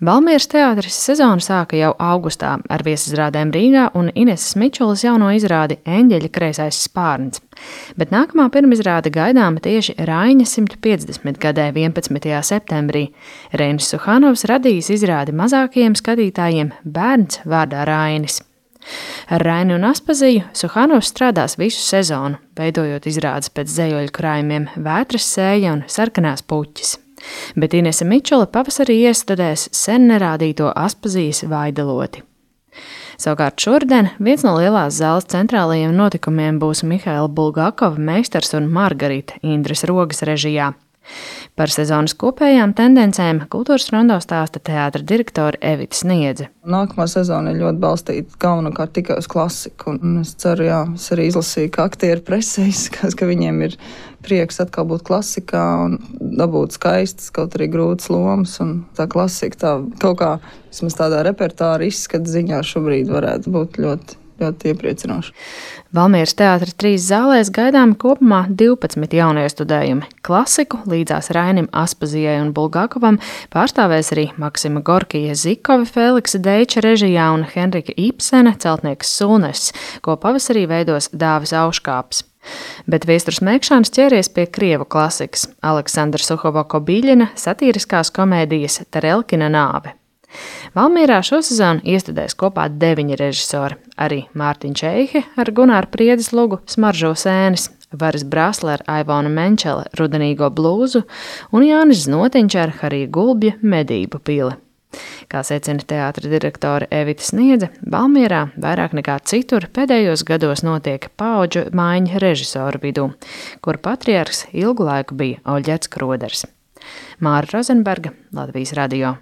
Valmieras teātris sezonu sāka jau augustā ar viesizrādēm Rīgā un Ineses Mičulas jauno izrādi Eņģeļa kreisais spārns. Bet nākamā pirmizrāde gaidāma tieši Raiņa 150 gadē 11. septembrī. Reinis Suhanovs radījis izrādi mazākajiem skatītājiem Bērns vārdā Rainis. Ar Raini un Aspaziju Suhanovs strādās visu sezonu, veidojot izrādes pēc dzejoļu krājumiem Vētras sēja un Sarkanās puķis. Bet Inese Mičula pavasarī iestudēs sen nerādīto Aspazijas Vaideloti. Savukārt šodien viens no lielās zāles centrālajiem notikumiem būs Mihaila Bulgakova Meistars un Margarita Indres Rogas režijā. Par sezonas kopējām tendencēm Kultūras rondo stāsta teātra direktore Evita Sniedze. Nākamā sezona ir ļoti balstīta galvenokārt tikai uz klasiku. Un es ceru, es arī izlasīju, ka aktieri presē izskatās, ka viņiem ir prieks atkal būt klasikā un dabūt skaistas, kaut arī grūtas lomas. Un tā klasika tā kaut kā vismaz tādā repertāra izskata ziņā šobrīd varētu būt ļoti iepriecinoši. Valmieras teātra 3 zālēs gaidām kopumā 12 jauniestudējumi. Klasiku līdzās Rainim, Aspazijai un Bulgakovam pārstāvēs arī Maksima Gorkija Zikova Feliksa Deiča režijā un Henrika Ibsena Celtnieks Sulness, ko pavasarī veidos Dāvis Auškāps. Bet Viesturs Mēkšāns ķēries pie krievu klasikas – Aleksandra Suhovako-Biļina satīriskās komēdijas Tarelkina nāve. Valmierā šosezon iestudēs kopā 9 režisori, arī Mārtiņš Eihe ar Gunāru Priedes lugu Smaržo sēnes, Varis Brasle ar Aivonu Menčele Rudenīgo blūzu un Jānis Znotiņš ar Harija Gulbja Medību pili. Kā secina teātra direktore Evita Sniedze, Valmierā vairāk nekā citur pēdējos gados notiek paudžu maiņa režisoru vidū, kur patriarhs ilgu laiku bija Oļģets Kroders. Māra Rozenberga, Latvijas radio.